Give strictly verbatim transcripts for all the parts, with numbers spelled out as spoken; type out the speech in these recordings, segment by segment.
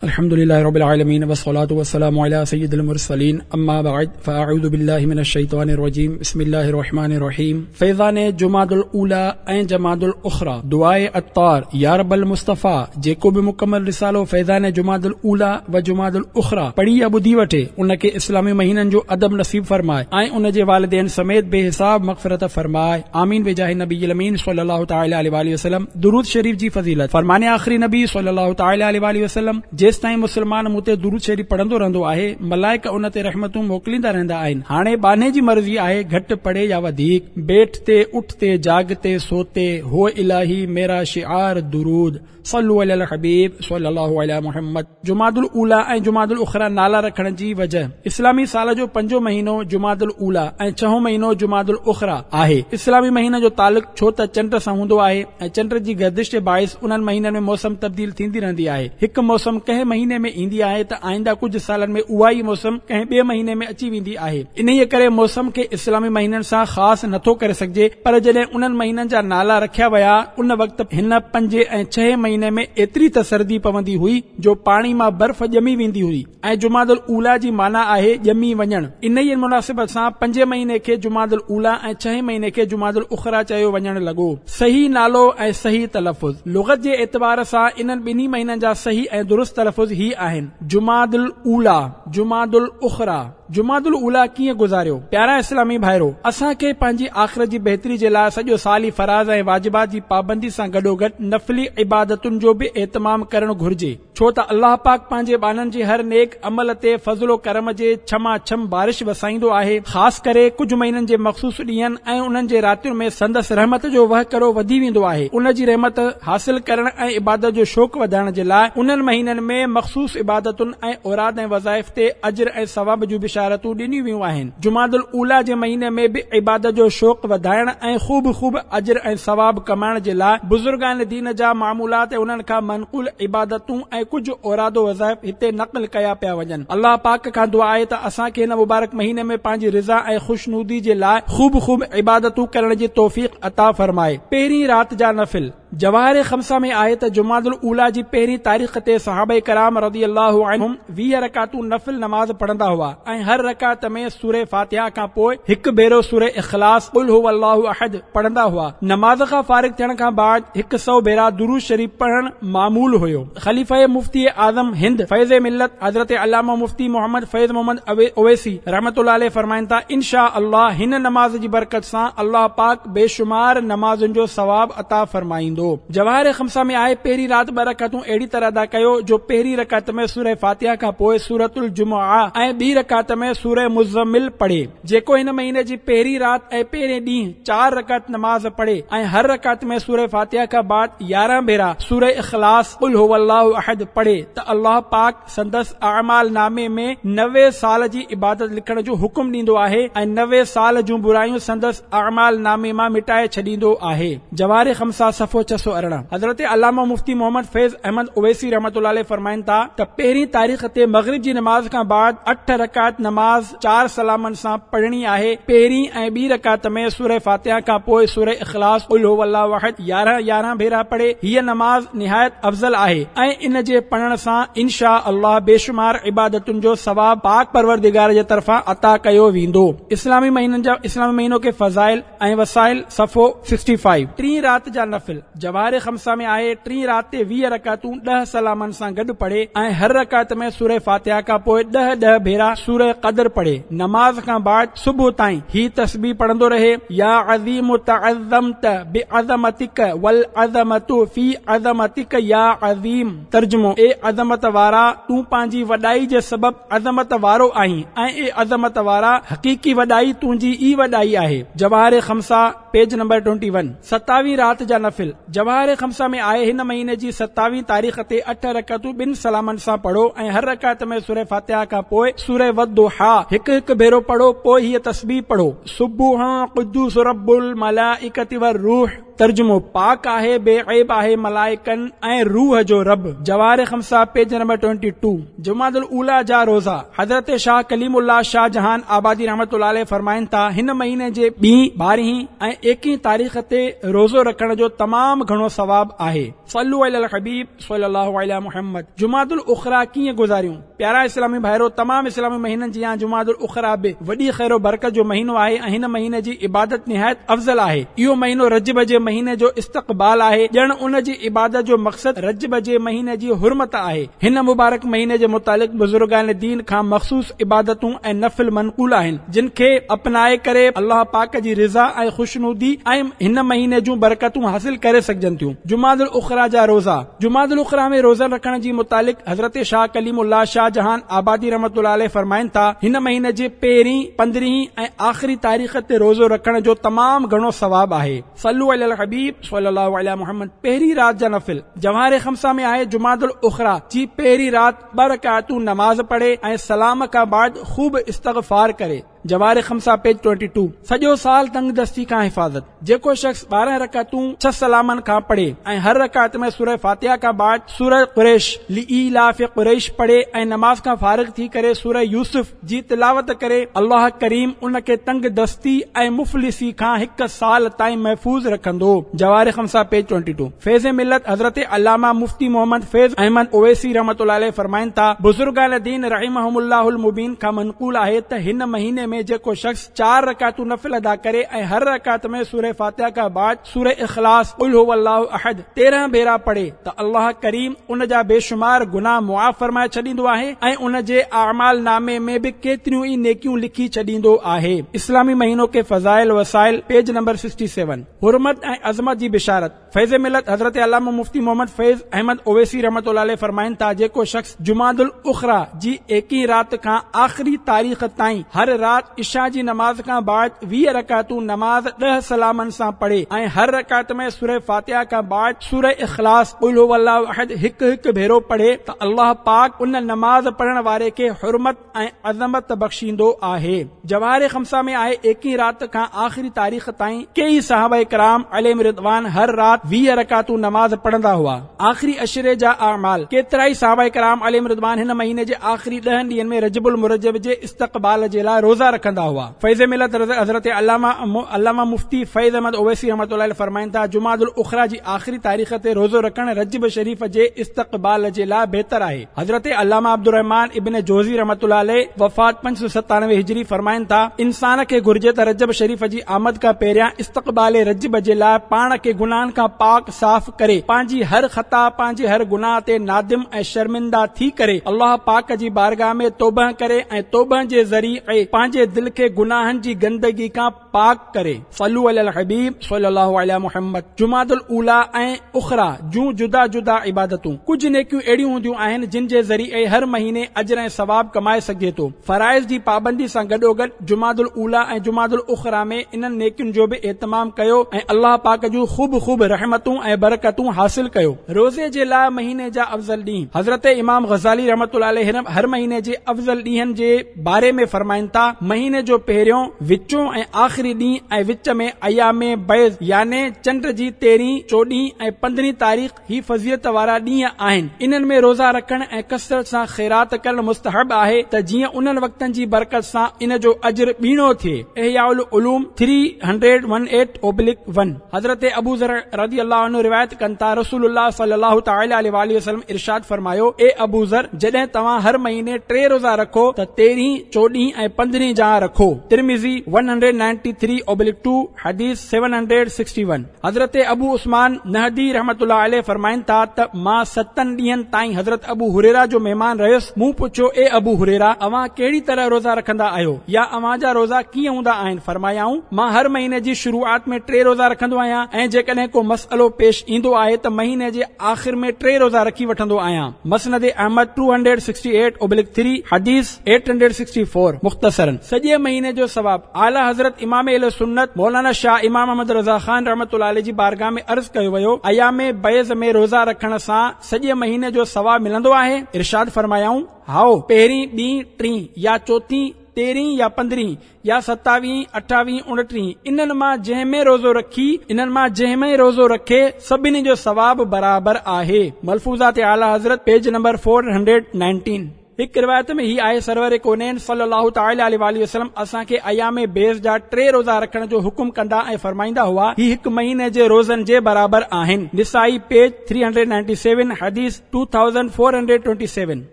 الحمد لله رب العالمين والصلاة والسلام على سيد المرسلين اما بعد فاعوذ بالله من الشيطان الرجيم بسم الله الرحمن الرحيم. فيضان جماد الاولى ۽ جماد الاخرى. دعاء عطار يا رب المصطفيٰ جيڪو به مڪمل رسالو فيضان جماد الاولى و جماد الاخرى پڙهي يا ٻڌي وٺي ان کي اسلامي مهينن جو ادب نصيب فرمائي ۽ ان جي والدين سميت بي حساب مغفرت فرمائي، آمين بجاه النبي الامين صلي الله تعالي عليه واله وسلم. درود شريف جي فضيلت. فرمان آخري نبي صلي الله تعالي عليه واله وسلم: جيستائين مسلمان مون تي درود شريف پڙهندو رهندو آهي، ملائڪ ان تي رحمتون موڪليندا رهندا آهن. هاڻي ٻانهي جي مرضي آهي گهٽ پڙهي يا وڌيڪ. بيٺتي اٺتي جاگتي سوتي هو الهي ميرا شعار درود. صلوا علي الحبيب صلي الله علي محمد. جماد الاولى ۽ جماد الاخرى نالا رکڻ جي وجه: اسلامي سال جو پنجون مهينو جماد الاولى ۽ ڇهون مهينو جماد الاخرى آهي. اسلامي مهينن جو تعلق ڇو ته چنڊ سان هوندو آهي ۽ چنڊ جي گردش جي باعث انهن مهينن ۾ موسم تبديل ٿيندي رهندي آهي. هڪ موسم ڪنهن مهيني ۾ ايندي آهي ته آئنده ڪجهه سالن ۾ اها ئي موسم ڪنهن ٻئي مهيني ۾ اچي ويندي آهي. انهيء ڪري موسم کي اسلامي مهينن سان خاص نٿو ڪري سگهجي، پر جڏهن انهن مهينن جا نالا رکيا ويا ان وقت هن پنجين ۽ ڇهين مهيني ۾ ايتري ته سردي پوندي هئي جو پاڻي مان برف ڄمي ويندي هئي ۽ جماد الاوليٰ جي معنيٰ آهي ڄمي وڃڻ. انهيء مناسبت سان پنجين مهيني کي جماد الاوليٰ ۽ ڇهين مهيني کي جماد الاخريٰ چيو وڃڻ لڳو. صحيح نالو ۽ صحيح تلفظ. لغت جي اعتبار سان انهن ٻنهي مهينن جا صحيح ۽ درست تلفظ هي آهن: جماد الاوليٰ، جماد الاخريٰ. جماد الاوليٰ ڪيئن گذاريو؟ پيارا اسلامي ڀائرو! اسان کي پنهنجي آخرت جي بهتري جي لاء سڄو سال ئي فرائض ۽ واجبات جي پابندي سان گڏوگڏ نفلي عبادتن جو به اهتمام ڪرڻ گهرجي، ڇو ته الله پاڪ پنهنجي ٻانهن جي هر نيڪ عمل تي فضل و ڪرم جي ڇما ڇم بارش وسائيندو آهي. خاص ڪري ڪجهه مهينن جي مخصوص ڏينهن ۽ انهن جي راتين ۾ سندس رحمت جو وهڪرو وڌي ويندو آهي. ان جي رحمت حاصل ڪرڻ ۽ عبادت جو شوق وڌائڻ جي لاء انهن مهينن ۾ مخصوص عبادتن ۽ اوراد ۽ وظائف تي اجر ۽ ثواب جون بشارتون ڏنيون ويون آهن. جماد الاوليٰ جي مهيني ۾ به عبادت جو شوق وڌائڻ ۽ خوب خوب اجر ۽ ثواب ڪمائڻ جي لاء بزرگان دين جا معمولات ۽ انهن کان منقول عبادتون ۽ ڪجهه اوراد و وظائف هتي نقل ڪيا پيا وڃن. الله پاڪ کان دعا آهي ته اسان کي هن مبارڪ مهيني ۾ پنهنجي رضا ۽ خوشنودي جي لاء خوب خوب عبادتون ڪرڻ جي توفيق عطا فرمائي. پهرين رات جا نفل. جواهر خمسه ۾ آهي ته جماد الاوليٰ جي پهرين تاريخ تي صحابه ڪرام رضي الله عنهم ويهه رڪعتون نفل نماز پڙهندا هئا ۽ هر رڪعت ۾ سوره فاتحه کان پوء هڪ ڀيرو سوره اخلاص قل هو الله احد پڙهندا هئا. نماز کان فارغ ٿيڻ کان بعد هڪ سؤ ڀيرا درود شريف پڙهڻ معمول هيو. خليفه مفتي اعظم هند فيض ملت حضرت علامه مفتي محمد فيض محمد اويسي رحمة الله عليه فرمائن ٿا، ان شاء الله هن نماز جي برڪت سان الله پاڪ بيشمار نمازن جو ثواب عطا فرمائيندو. جواهر خمسه ۾ آهي، پهرين رات ٻه رڪعتون اهڙي طرح ادا ڪيو جو پهرين رڪعت ۾ سوره فاتحه کان پوء سورة الجمعه ۽ ٻي رڪعت ۾ سوره مزمل پڙهي. جيڪو هن مهيني جي پهرين رات ۽ پهرين ڏينهن چار رڪعت نماز پڙهي ۽ هر رڪعت ۾ سوره فاتحه کان بعد يارهن ڀيرا سوره اخلاص قل هو الله احد پڙهي ته الله پاڪ سندس اعمال نامي ۾ نوي سال جي عبادت لکڻ جو حڪم ڏيندو آهي ۽ نوي سال جون برايون سندس اعمال نامي مان مٽائي ڇڏيندو آهي. جواهر خمسه صفحو ڇهه سؤ ارڙهن. حضرت علامه مفتي محمد فيض احمد اويسي رحمة الله عليه فرمائن ٿا ته پهرين تاريخ تي مغرب جي نماز کان بعد اٺ رڪعت نماز چار سلامن سان پڙهڻي آهي. پهرين ۽ ٻي رڪعت ۾ سوره فاتحه کان پوء سوره اخلاص قل هو الله احد يارهن يارهن ڀيرا پڙهي. هيء نماز نهايت افضل آهي ۽ ان جي پڙهڻ سان ان شاء الله بيشمار عبادتن جو ثواب پاڪ پروردگار جي طرفان عطا ڪيو ويندو. اسلامي مهينن جا اسلامي مهينو ڪي فضائل ۽ وسائل صفحو سڪسٽي فائيو. ٽين رات جا نفل. جواهر خمسه ۾ آهي، ٽين رات تي ويهه رڪعتون ڏهه سلامن سان گڏ پڙهي ۽ هر رڪعت ۾ سوره فاتحه کان پوء ڏهه ڏهه ڀيرا سوره قدر پڙهي. نماز کان بعد صبح تائين هي تسبيح پڙهندو رهي، يا عظيم تعظمت بعظمتک والعظمة في عظمتک يا عظيم. ترجمو، اي عظمت وارا! تون پنهنجي وڏائي جي سبب عظمت وارو آهين ۽ اي عظمت وارا! حقيقي وڏائي تنهنجي ئي وڏائي آهي. جواهر خمسه، پيج نمبر ٽوئنٽي ون. ستاويهين رات جا نفل. جواهر خمسه ۾ آهي، هن مهيني جي ستاويهين تاريخ تي اٺ رڪعتون ٻن سلامن سان پڙهو ۽ هر رڪعت ۾ سوره فاتحه کان پوء سوره والضحيٰ هڪ هڪ ڀيرو پڙهو، پوء هيء تسبيح پڙهو، سبوح قدوس رب الملائڪة والروح. ترجمو، پاڪ آهي، بي عيب آهي ملائڪن ۽ روح جو رب. جواهر خمسه پيج نمبر ٽوئنٽي ٽو. جمادي الاوليٰ جا روزا. حضرت شاهه ڪليم الله شاهه جهان آبادي رحمة الله عليه فرمائن ٿا، هن مهيني جي ٻي، ٻارهين ۽ ايڪيهين تاريخ تي روزو رکڻ جو تمام گهڻو ثواب آهي. صلو علی الحبيب صلي الله عليه محمد. جمادي الاخريٰ ڪيئن گذاريون؟ پيارا اسلامي ڀائرو، تمام اسلامي مهينن جيان جمادي الاخريٰ به وڏي خير و برڪت جو مهينو آهي ۽ هن مهيني جي عبادت نهايت افضل آهي. اهو مهينو رجب جي مهيني جو استقبال آهي، ڄڻ ان جي عبادت جو مقصد رجب جي مهيني جي حرمت آهي. هن مبارڪ مهيني جي متعلق بزرگان دين کان مخصوص عبادتون ۽ نفل منقول آهن، جن کي اپنائي ڪري الله پاڪ جي رضا ۽ خوشنودي ۽ هن مهيني جون برڪتون حاصل ڪري سگهجن ٿيون. جمادي الاخريٰ جا روزا. جمادي الاخريٰ ۾ روزن رکڻ جي متعلق حضرت شاهه ڪليم الله شاهه جهان آبادي رحمة الله عليه فرمائن ٿا، هن مهيني جي پهرين، پندرهين ۽ آخري تاريخ تي روزو رکڻ جو تمام گهڻو ثواب آهي. صلو علی الحبيب صلي الله عليه محمد. پهرين رات جا نفل. جواهر خمسه ۾ آهي، جمادي الاخريٰ جي پهرين رات ٻه رڪعتون نماز پڙهي ۽ سلام کان بعد خوب استغفار ڪري. جواهر خمسه پيج ٽوئنٽي ٽو. سڄو سال تنگ دستي کان حفاظت. جيڪو شخص ٻارهن رڪعتون ڇهه سلامن کان پڙهي ۽ هر رڪعت ۾ سوره فاتحه کان بعد سوره قريش لإيلاف قريش پڙهي ۽ نماز کان فارغ ٿي ڪري سوره يوسف جي تلاوت ڪري، الله ڪريم ان کي تنگ دستي ۽ مفلسي کان هڪ سال تائين محفوظ رکندو. جواهر خمسه پيج ٽوئنٽي ٽو. فيض ملت حضرت علامه مفتي محمد فيض احمد اويسي رحمة الله عليه فرمائن ٿا، بزرگان دين رحمهم الله المبين کان منقول آهي ته هن مهيني ۾ جيڪو شخص چار رڪعتون نفل ادا ڪري ۽ هر رڪعت ۾ سوره فاتحه کان بعد سوره اخلاص قل هو الله احد تيرهن ڀيرا پڙهي ته الله ڪريم ان جا بيشمار گناهه معاف فرمائي ڇڏيندو آهي ۽ ان جي اعمال نامي ۾ به ڪيتريون ئي نيڪيون لکي ڇڏيندو آهي. اسلامي مهينو ڪي فضائل وسائل پيج نمبر سڪسٽي سيون. حرمت ۽ عظمت جي بشارت. فيض ملت حضرت علامه مفتي محمد فيض احمد اويسي رحمة الله عليه فرمائن ٿا، جيڪو شخص جمادي الاخريٰ جي ايڪيهين رات کان آخري تاريخ تائين هر رات عشاء جي نماز کان بعد ويهه رڪعتون نماز ڏهه سلامن سان پڙهي ۽ هر رڪعت ۾ سوره فاتحه کان بعد سوره اخلاص قل هو الله احد هڪ هڪ ڀيرو پڙهي ته الله پاڪ ان نماز پڙهڻ واري کي حرمت ۽ عظمت بخشيندو آهي. جواهر خمسه ۾ آهي، ايڪيهين رات کان آخري تاريخ تائين ڪيئي صحابه ڪرام عليهم الرضوان هر رات ويهه رڪعتون نماز پڙهندا هئا. آخري عشري جا اعمال، ڪيترائي صحابه ڪرام عليهم الرضوان هن مهيني جي آخري ڏهن ڏينهن ۾ رجب المرجب جي استقبال جي لاء روزا رکندا هئا. فيض ملت حضرت علامه علامه مفتي فيض احمد اويسي رحمة الله عليه فرمائن ٿا، جمادي الاخريٰ جي آخري تاريخ تي روزو رکڻ رجب شريف جي استقبال جي لاء بهتر آهي. حضرت علامه عبدالرحمان ابن جوزي رحمة الله عليه، وفات پنج سؤ ستانوي هجري، فرمائن ٿا، انسان کي گهرجي ته رجب شريف جي آمد کان پهريان استقبال رجب جي لاء پاڻ کي گناهن کان پاڪ صاف ڪري، پنهنجي هر خطا، پنهنجي هر گناهه تي نادم ۽ شرمنده ٿي ڪري الله پاڪ جي بارگاهه ۾ توبه ڪري ۽ توبه جي ذريعي پنهنجي دل کي گناهن جي گندگي کان پاڪ ڪري. صلو علی الحبيب صلي الله علي محمد. جمادي الاوليٰ ۽ اخريٰ جون جدا جدا عبادتون. ڪجهه نيڪيون اهڙيون هونديون آهن جن جي ذريعي هر مهيني اجر ۽ ثواب ڪمائي سگهجي ٿو. فرائض جي پابندي سان گڏوگڏ جمادي الاوليٰ ۽ جمادي الاخريٰ ۾ انهن نيڪين جو به اهتمام ڪيو ۽ الله پاڪ جون خوب خوب رحمتون ۽ برڪتون حاصل ڪيو. روزي جي لاء مهيني جا افضل ڏينهن. حضرت امام غزالي رحمة الله عليه هر مهيني جي افضل ڏينهن جي باري ۾ فرمائن ٿا، مهيني جو پهريون، وچون ۽ آخري ڏينهن ۽ وچ ۾ ايام بيض يعني چنڊ جي تيرهين، چوڏهين ۽ پندرهين تاريخ هي فضيلت وارا ڏينهن آهن. انهن ۾ روزا رکڻ ۽ ڪثرت سان خيرات ڪرڻ مستحب آهي ته جيئن انهن وقتن جي برڪت سان ان جو اجر ٻيڻو ٿئي. احياء العلوم three hundred one eight oblique one. حضرت ابو ذر رضي الله عنه روايت ڪن ٿا، رسول الله صلي الله تعالٰي عليه واٰله وسلم ارشاد فرمايو، اي ابو ذر! جڏهن توهان هر مهيني ٽي روزا رکو ته تيرهين، چوڏهين ۽ پندرهين جا رکو. Tirmizi one hundred ninety three oblique two, حديث سيون هنڊريڊ سڪسٽي ون. حضرت ابو عثمان نهدي رحمة الله عليه فرمائن ٿا ته مان ستن ڏينهن تائين حضرت ابو هريره جو مهمان رهيس، مون پڇيو، اي ابو هريره! اوهان ڪهڙي طرح روزا رکندا آهيو يا اوهان جا روزا ڪيئن هوندا آهن؟ فرمايائون، مان هر مهيني جي شروعات ۾ ٽي روزا رکندو آهيان ۽ جيڪڏهن ڪو مسئلو پيش ايندو آهي ته مهيني جي آخر ۾ ٽي روزا رکي وٺندو آهيان. مسند احمد two hundred sixty eight oblique three, حديث ايٽ هنڊريڊ سڪسٽي فور، مختصراً. سڄي مهيني جو ثواب. اعليٰ حضرت امام اهل سنت مولانا شاهه امام احمد رضا خان رحمة الله عليه جي بارگاهه ۾ عرض ڪيو ويو، ايام بيض ۾ روزا رکڻ سان سڄي مهيني جو ثواب ملندو آهي؟ ارشاد فرمايائون، هائو، پهرين، ٻين، ٽين يا چوٿين، تيرهين يا پندرهين يا ستاويهين، اٺاويهين، اڻٽيهين، انهن مان جنهن ۾ روزو رکي انهن مان جنهن ۾ روزو رکي سڀني جو ثواب برابر آهي. ملفوظات اعليٰ حضرت page number four hundred nineteen. هڪ روايت ۾ هي آهي، سرور ڪونين صلي الله تعالٰي عليه واٰله وسلم اسان کي ايام بيض جا ٽي روزا رکڻ جو حڪم ڪندا ۽ فرمائيندا هئا، هي هڪ مهيني جي روزن جي برابر آهن. نسائي page three hundred ninety seven, حديث two thousand four hundred twenty seven.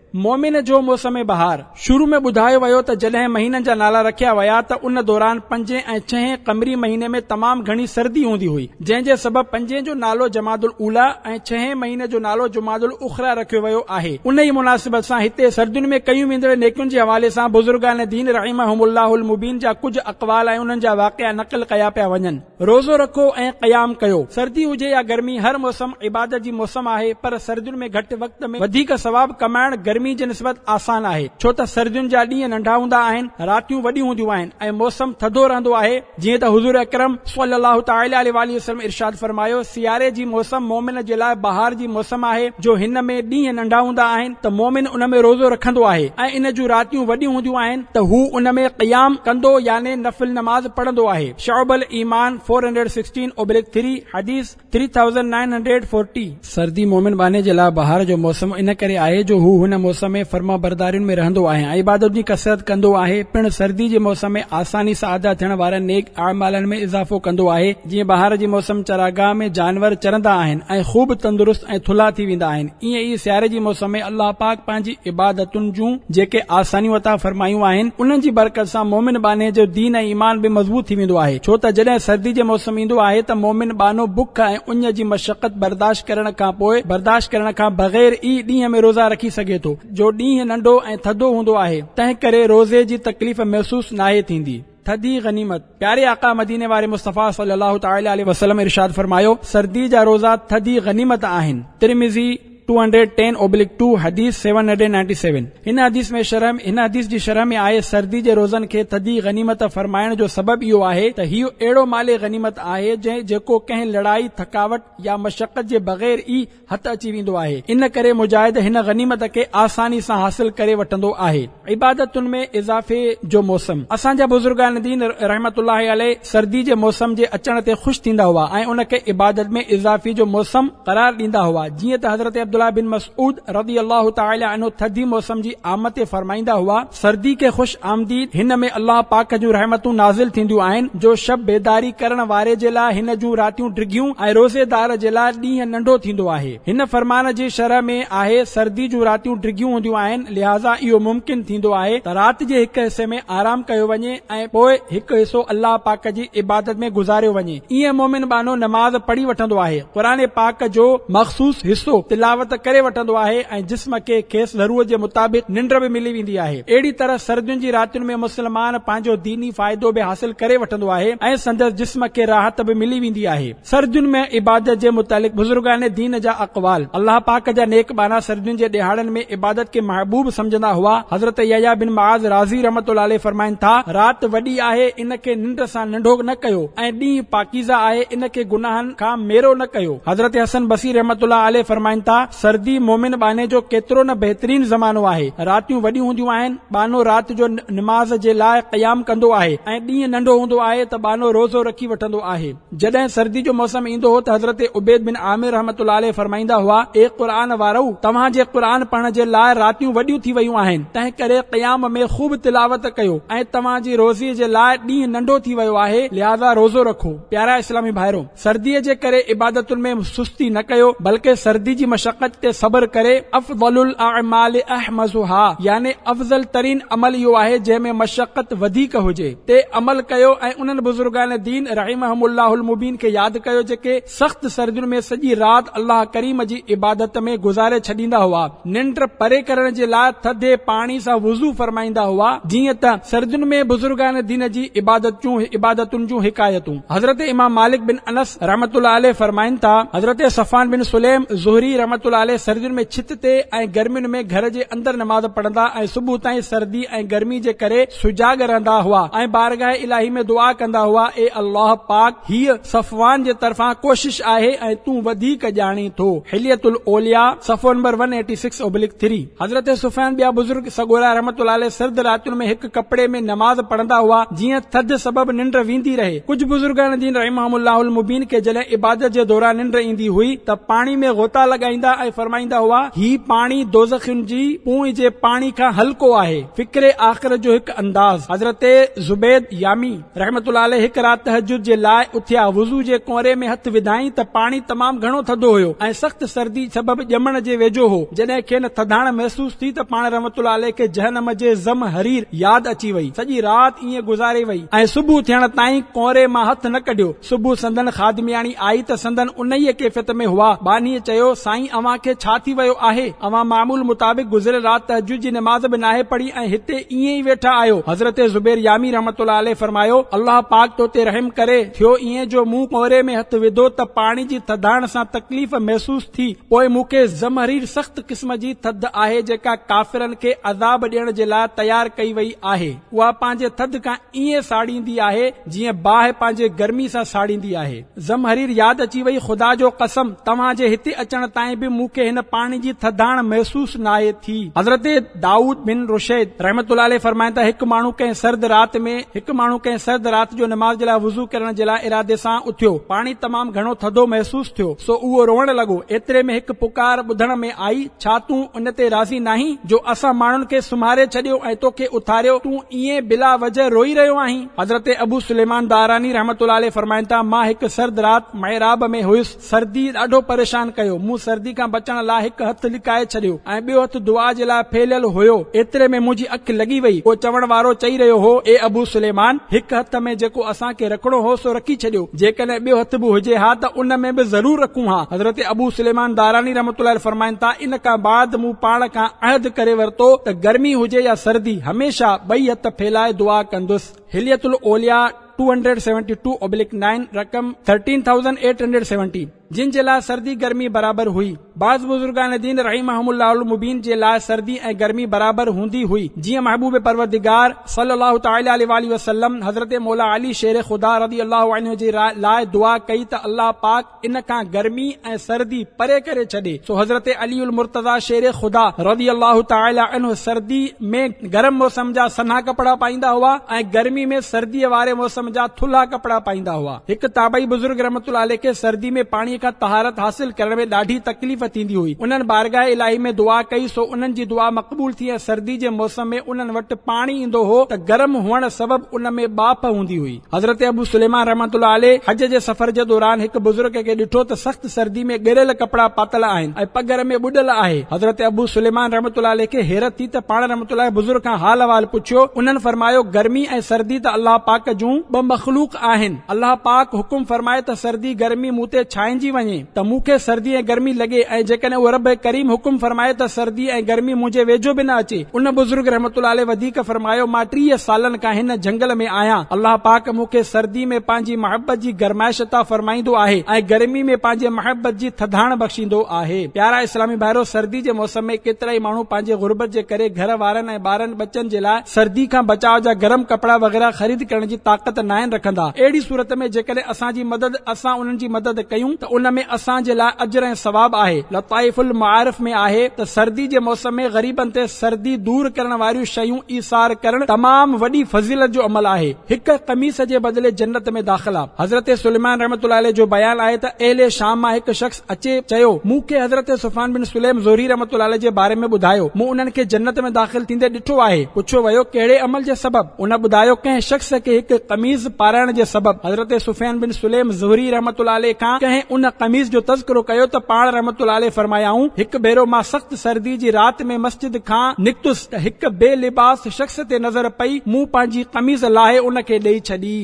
مومن جو موسم بهار. شروع ۾ ٻڌايو ويو ته جڏهن مهينن جا نالا رکيا ويا ته ان دوران پنجين ۽ ڇهين قمري مهيني ۾ تمام گهڻي سردي هوندي هئي، جنهن جي سبب پنجين جو نالو جماد الاوليٰ ۽ ڇهين مهيني جو نالو جماد الاخريٰ رکيو ويو آهي. انهيء مناسبت سان هتي سردين ۾ ڪيون ويندڙ نيڪين جي حوالي سان بزرگان دين رحمهم الله المبين جا ڪجهه اقوال ۽ انهن جا واقعا نقل ڪيا پيا وڃن. روزو رکو ۽ قيام ڪيو. سردي هجي يا گرمي، هر موسم عبادت جي موسم آهي، پر سردين ۾ گهٽ وقت ۾ وڌيڪ ثواب ڪمائڻ گرمي جي نسبت آسان آهي، ڇو ته سردين جا ڏينهن ننڍا هوندا آهن، راتيون وڏيون هونديون آهن ۽ موسم ٿڌو رهندو آهي، جيئن ته حضور اڪرم صلي الله تعالٰي عليه واٰله وسلم ارشاد فرمايو، سياري جي موسم مؤمن جي لاء بهار جي موسم آهي، جو هن ۾ ڏينهن ننڍا هوندا آهن ته مؤمن ان ۾ روزو رکندو آهي ۽ ان جون راتيون وڏيون هونديون آهن ته هو ان ۾ قيام ڪندو يعني نفل نماز پڙهندو آهي. شعب الايمان four hundred sixteen oblique three, حديث three thousand nine hundred forty. سردي مومن ٻانهي جي لاء بهار جو موسم ان ڪري آهي جو هو هن موسم ۾ فرمانبردارين ۾ رهندو آهي ۽ عبادت جي ڪثرت ڪندو آهي، پڻ سردي جي موسم ۾ آساني سان ادا ٿيڻ وارن نيڪ اعمالن ۾ اضافو ڪندو آهي، جيئن بهار جي موسم چراگاهه ۾ جانور چرندا آهن ۽ خوب تندرست ۽ ٿلها ٿي ويندا آهن، ائين ئي سياري جي موسم ۾ الله پاڪ پنهنجي عبادتن جون جيڪي آسانيون عطا فرمايون آهن، انهن جي برڪت سان مومن ٻانهي جو دين ۽ ايمان به مضبوط ٿي ويندو آهي، ڇو ته جڏهن سردي جي موسم ايندو آهي ته مومن ٻانهو بک ۽ اڃ جي مشقت برداشت ڪرڻ کان پوء برداشت ڪرڻ کان بغير ئي ڏينهن ۾ روزا رکي سگهي ٿو، جو ڏينهن ننڍو ۽ ٿڌو هوندو آهي، تنهن ڪري روزي جي تڪليف محسوس ناهي ٿيندي. ٿڌي غنيمت. پياري آقا مديني واري مصطفيٰ صلي الله تعالٰي عليه وسلم ارشاد فرمايو، سردي جا روزا ٿڌي غنيمت آهن. Tirmizi two hundred ten oblique two, حديث سيون هنڊريڊ نائنٽي سيون. هن حديث ۾ شرح هن حديث جي شرح ۾ آهي، سردي جي روزن کي ٿڌي غنيمت فرمائڻ جو سبب اهو آهي ته هيء اهڙو مال غنيمت آهي جنهن جيڪو ڪنهن لڙائي، ٿڪاوٽ يا مشقت جي بغير ئي هٿ اچي ويندو آهي، ان ڪري مجاهد هن غنيمت کي آساني سان حاصل ڪري وٺندو آهي. عبادتن ۾ اضافي جو موسم. اسان جا بزرگان دين رحمة الله عليه سردي جي موسم جي اچڻ تي خوش ٿيندا هئا ۽ ان کي عبادت ۾ اضافي جو موسم قرار ڏيندا هئا، جيئن ته حضرت عبدالله بن مسعود رضي الله تعالٰي عنه ٿڌي موسم جي آمد تي فرمائيندا هئا، سردي کي خوش آمديد، هن ۾ الله پاڪ جون رحمتون نازل ٿينديون آهن، جو شب بيداري ڪرڻ واري جي لاء هن جون راتيون ڊگهيون ۽ روزيدار جي لاء ڏينهن ننڍو ٿيندو آهي. هن فرمان جي شرح ۾ آهي، سردي جون راتيون ڊگهيون هونديون آهن، لهٰذا اهو ممڪن ٿيندو آهي ته رات جي هڪ حصي ۾ آرام ڪيو وڃي ۽ پوء هڪ حصو الله پاڪ جي عبادت ۾ گذاريو وڃي. ائين مؤمن ٻانهو نماز پڙهي وٺندو آهي، قرآن پاڪ جو مخصوص حصو تلاوت ڪري وٺندو آهي ۽ جسم کي کيس ضرورت جي مطابق ننڊ به ملي ويندي آهي. اهڙي طرح سردين جي راتين ۾ مسلمان پنهنجو ديني فائدو به حاصل ڪري وٺندو آهي ۽ سندس جسم کي راحت به ملي ويندي آهي. سردين ۾ عبادت جي متعلق بزرگان دين جا اقوال. الله پاڪ جا نيڪ ٻانها سردين جي ڏهاڙن ۾ عبادت کي محبوب سمجهندا هئا. حضرت يحيٰ بن معاذ رازي رحمة الله عليه فرمائن ٿا، رات وڏي آهي ان کي ننڊ سان ننڍو نه ڪيو ۽ ڏينهن پاڪيزه آهي ان کي گناهن کان ميرو نه ڪيو. حضرت حسن بصري رحمة الله عليه فرمائن ٿا، سردي مؤمن ٻانهي جو ڪيترو نه بهترين زمانو آهي. راتيون وڏيون هونديون آهن، ٻانهو رات جو نماز جي لاء قيام ڪندو آهي ۽ ڏينهن ننڍو هوندو آهي ته ٻانهو روزو رکي وٺندو آهي. جڏهن سردي جو موسم ايندو هو ته حضرت عبيد بن عامر رحمة الله عليه فرمائيندا هئا، اي قرآن وارؤ! توهان جي قرآن پڙهڻ جي لاء راتيون وڏيون ٿي ويون آهن، تنهنڪري قيام ۾ خوب تلاوت ڪيو ۽ توهان جي روزي جي لاء ڏينهن ننڍو ٿي ويو آهي، لهٰذا روزو رکو. پيارا اسلامي ڀائرو! سرديء جي ڪري عبادتن ۾ سستي نه ڪيو، بلڪه سردي جي مشقت تي صبر ڪري افضل الاعمال احمسها يعني افضل ترين عمل اهو آهي جنهن ۾ مشقت وڌيڪ هجي. تي عمل ڪيو ۽ انهن بزرگان دين رحمهم الله المبين کي ياد ڪيو جيڪي سخت سردين ۾ سڄي رات الله ڪريم جي عبادت ۾ گذاري ڇڏيندا هئا، ننڊ پري ڪرڻ جي لاء ٿڌي پاڻي سان وضو فرمائيندا هئا، جيئن ته سردين ۾ بزرگان دين جي عبادت جون عبادتن جون حڪايتون. حضرت امام مالڪ بن انس رحمة الله عليه فرمائن ٿا، حضرت صفوان بن سليم زهري رحمة الله عليه سردين ۾ ڇت تي ۽ گرمين ۾ گهر جي اندر نماز پڙهندا ۽ صبح تائين سردي ۽ گرمي جي ڪري سجاڳ رهندا هئا ۽ بارگاهه الاهي ۾ دعا ڪندا هئا، اي الله پاڪ، هيء صفوان جي طرفان ڪوشش آهي ۽ تون وڌيڪ ڄاڻين ٿو. حلية الاولياء، صفحو number one eighty six oblique three. حضرت سفيان ٻيا بزرگ سڳورا رحمة الله عليه سرد راتين ۾ هڪ ڪپڙي ۾ نماز پڙهندا هئا، جيئن ٿڌ سبب ننڊ ويندي رهي. ڪجهه بزرگان دين رحمهم الله المبين کي جڏهن عبادت جي دوران ننڊ ايندي هئي ته پاڻي ۾ غوطا لڳائيندا ۽ فرمائيندا هئا، هي پاڻي دوزخين جي پونء جي پاڻي کان هلڪو آهي. فڪر آخرت جو هڪ انداز. حضرت زبيد يامي رحمة الله عليه هڪ رات تهجد جي لاء اٿيا، وضو جي ڪؤنري ۾ هٿ وڌائين ته پاڻي تمام گهڻو ٿڌو هيو ۽ سخت سردي سبب ڄمڻ جي ويجهو هو. جڏهن کين ٿڌاڻ محسوس ٿي ته پاڻ رحمة الله عليه کي جهنم جي زمهرير ياد اچي وئي. سڄي رات ائين گذاري وئي ۽ صبح ٿيڻ تائين ڪؤنري مان هٿ نه ڪڍيو. صبح سندن خادمياڻي آئي ته سندن انهيء ڪيفيت ۾ هئا. ٻانهيء چيو، سائين اوهان کي ڇا ٿي ويو آهي؟ اوهان معمول مطابق گذريل رات تهجد جي نماز به ناهي پڙهي ۽ هتي ائين ئي ويٺا آهيو. حضرت زبير يامي رحمة الله عليه فرمايو، الله پاڪ تو تي رحم ڪري، ٿيو ائين جو مون ڪؤنري ۾ هٿ وڌو ته پاڻي جي ٿڌاڻ سان تڪليف محسوس ٿي، پوء مون کي زمهرير سخت قسم جي ٿڌ آهي جيڪا ڪافرن کي عذاب ڏيڻ جي لاء تيار ڪئي وئي آهي، اها پنهنجي ٿڌ کان ائين ساڙيندي آهي جيئن باهه پنهنجي گرمي سان ساڙيندي آهي. زمهرير ياد اچي وئي، خدا جو قسم توهان جي هتي اچڻ تائين به مون کي هن پاڻي جي ٿڌاڻ محسوس ناهي ٿي. حضرت دائود بن رشيد رحمة الله عليه فرمائن ٿا، هڪ ماڻهو ڪنهن سرد رات ۾ هڪ ماڻهو ڪنهن سرد رات جو نماز جي لاء وضو ڪرڻ جي لاء ارادي سان اٿيو. پاڻي تمام گهڻو ٿڌو محسوس ٿيو، سو اهو روئڻ لڳو. ايتري ۾ هڪ پڪار ٻڌڻ ۾ آئي، ڇا تون ان تي راضي ناهين جو اسان ماڻهن کي سمهاري ڇڏيو ۽ توکي اٿاريو، تون ائين بلا وجه روئي رهيو آهين؟ حضرت ابو سليمان داراني رحمة الله عليه فرمائن ٿا، مان هڪ سرد رات محراب ۾ هيس، سردي ڏاڍو پريشان ڪيو، مون سردي کان بچڻ لاء هڪ هٿ لڪائي ڇڏيو ۽ ٻيو هٿ دعا جي لاء ڦهليل هيو، ايتري ۾ منهنجي اک لڳي وئي، ڪو چوڻ وارو چئي رهيو هو، اي ابو سليمان! هڪ هٿ ۾ جيڪو اسان کي رکڻو هو سو رکي ڇڏيو، جيڪڏهن ٻيو هٿ به هجي ها ته ان ۾ به ضرور رکون ها. حضرت ابو سليمان داراني رحمة الله عليه فرمائن ٿا، ان کان بعد مون پاڻ کان عهد ڪري ورتو ته گرمي هجي يا سردي، هميشه ٻئي هٿ ڦهلائي دعا ڪندس. حلية الاولياء two hundred seventy two oblique nine رقم thirteen thousand eight hundred seventy جن جي لاء سردي گرمي برابر هئي. بعض بزرگان دين رحمهم الله المبين جي لاء سردي ۽ گرمي برابر هوندي هئي، جيئن محبوب پروردگار صلي الله تعالٰي عليه واٰله وسلم حضرت مولا علي شير خدا رضي الله عنه جي لاء دعا ڪئي ته الله پاڪ ان کان گرمي ۽ سردي پري ڪري ڇڏي، سو حضرت علي المرتضيٰ شير خدا رضي الله تعالٰي عنه سردي ۾ گرم موسم جا سنها ڪپڙا پائيندا هئا ۽ گرمي ۾ سرديء واري موسم جا ٿلها ڪپڙا پائيندا هئا. هڪ تابعي بزرگ رحمة الله عليه کي سردي ۾ پاڻي کان طهارت حاصل ڪرڻ ۾ ڏاڍي تڪليف ٿيندي هئي، انهن بارگاهه الاهي ۾ دعا ڪئي سو انهن جي دعا مقبول ٿي ۽ سردي جي موسم ۾ انهن وٽ پاڻي ايندو هو ته گرم هئڻ سبب ان ۾ ٻاڦ هوندي هئي. حضرت ابو سليمان رحمة الله عليه حج جي سفر جي دوران هڪ بزرگ کي ڏٺو ته سخت سردي ۾ ڳريل ڪپڙا پاتل آهن ۽ پگهر ۾ ٻڏل آهي. حضرت ابو سليمان رحمة الله عليه کي حيرت ٿي ته پاڻ رحمة الله عليه بزرگ کان حال احوال پڇيو، انهن فرمايو، گرمي ۽ سردي ته الله پاڪ جون ٻه مخلوق آهن، الله پاڪ حڪم فرمائي ته سردي گرمي مون تي ڇانئجي وڃي ته مون کي سردي ۽ گرمي لڳي ۽ جيڪڏهن اهو رب ڪريم حڪم فرمائي ته سردي ۽ گرمي منهنجي ويجهو به نه اچي. ان بزرگ رحمة الله عليه وڌيڪ فرمايو، مان ٽيهه سالن کان هن جهنگل ۾ آهيان، الله پاڪ مون کي سردي ۾ پنهنجي محبت جي گرمائش عطا فرمائيندو آهي ۽ گرمي ۾ پنهنجي محبت جي ٿڌاڻ بخشيندو آهي. پيارا اسلامي ڀائرو! سردي جي موسم ۾ ڪيترائي ماڻهو پنهنجي غربت جي ڪري گهر وارن ۽ ٻارن ٻچن جي لاء سردي کان بچاء جا گرم ڪپڙا وغيره خريد ڪرڻ جي طاقت ناهن رکندا. اهڙي صورت ۾ جيڪڏهن اسان جي مدد اسان انهن جي مدد ڪيون ته ان ۾ اسان جي لاء اجر ۽ ثواب آهي. لطائف المعارف ۾ آهي ته سردي جي موسم ۾ غريبن تي سردي دور ڪرڻ واريون شيون ايثار ڪرڻ تمام وڏي فضيلت جو عمل آهي. هڪ قميص جي بدلي جنت ۾ داخلا. حضرت سليمان رحمة الله عليه جو بيان آهي ته اهل شام مان هڪ شخص اچي چيو، مون کي حضرت سفيان بن سليم زهري رحمة الله عليه جي باري ۾ ٻڌايو، مون انهن کي جنت ۾ داخل ٿيندي ڏٺو آهي. پڇيو ويو، ڪهڙي عمل جي سبب؟ ان ٻڌايو، ڪنهن شخص کي هڪ قميص پارائڻ جي سبب. حضرت سفيان بن سليم زهري رحمة الله عليه کان ڪنهن ان قميص جو تذڪرو ڪيو ته پاڻ رحمة الله عليه فرمايائون، هڪ ڀيرو مان سخت سردي جي رات ۾ مسجد کان نڪتس ته هڪ بي لباس شخص تي نظر پئي، مون پنهنجي قميص لاهي ان کي ڏئي ڇڏي.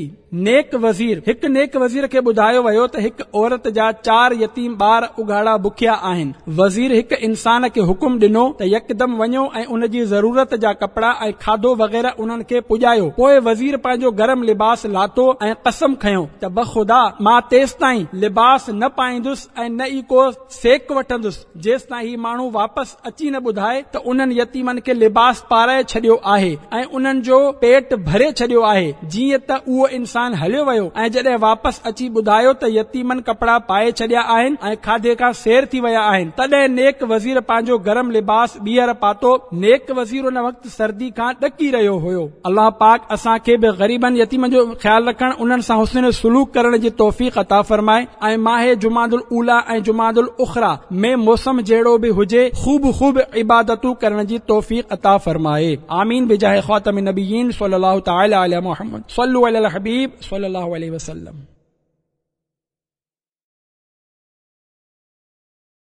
نيڪ وزير، هڪ نيڪ وزير کي ٻڌايو ويو ته هڪ عورت جا چار يتيم ٻار اگهاڙا بکيا آهن. وزير هڪ انسان کي حڪم ڏنو ته يڪدم وڃو ۽ ان جي ضرورت جا ڪپڙا ۽ کاڌو وغيره انهن کي پڄايو. پوء وزير پنهنجو گرم لباس لاٿو ۽ قسم کنيو ته بخدا مان تيستائين لباس نه نه پائيندس ۽ نه ئي ڪو سيڪ وٺندس، جيستائين هي ماڻهو واپس اچي نه ٻڌائي ته انهن يتيمن کي لباس پارائي ڇڏيو آهي ۽ انهن جو پيٽ ڀري ڇڏيو آهي. جيئن ته اهو انسان هليو ويو ۽ جڏهن واپس اچي ٻڌايو ته يتيمن ڪپڙا پائي ڇڏيا آهن ۽ کاڌي کان سير ٿي ويا آهن، تڏهن نيڪ وزير پنهنجو گرم لباس ٻيهر پاتو. نيڪ وزير ان وقت سردي کان ڏڪي رهيو هيو. الله پاڪ اسان کي به غريبن يتيمن جو خيال رکڻ، انهن سان حسن سلوڪ ڪرڻ جي توفيق عطا فرمائي ۽ ماه جمادي الاوليٰ ۽ جمادي الاخريٰ ۾ موسم جهڙو به هجي خوب خوب عبادتون ڪرڻ جي توفيق عطا فرمائي. آمين بجاه خاتم النبيين صلي الله تعالي علي محمد صلو علي الحبيب صلي الله عليه وسلم.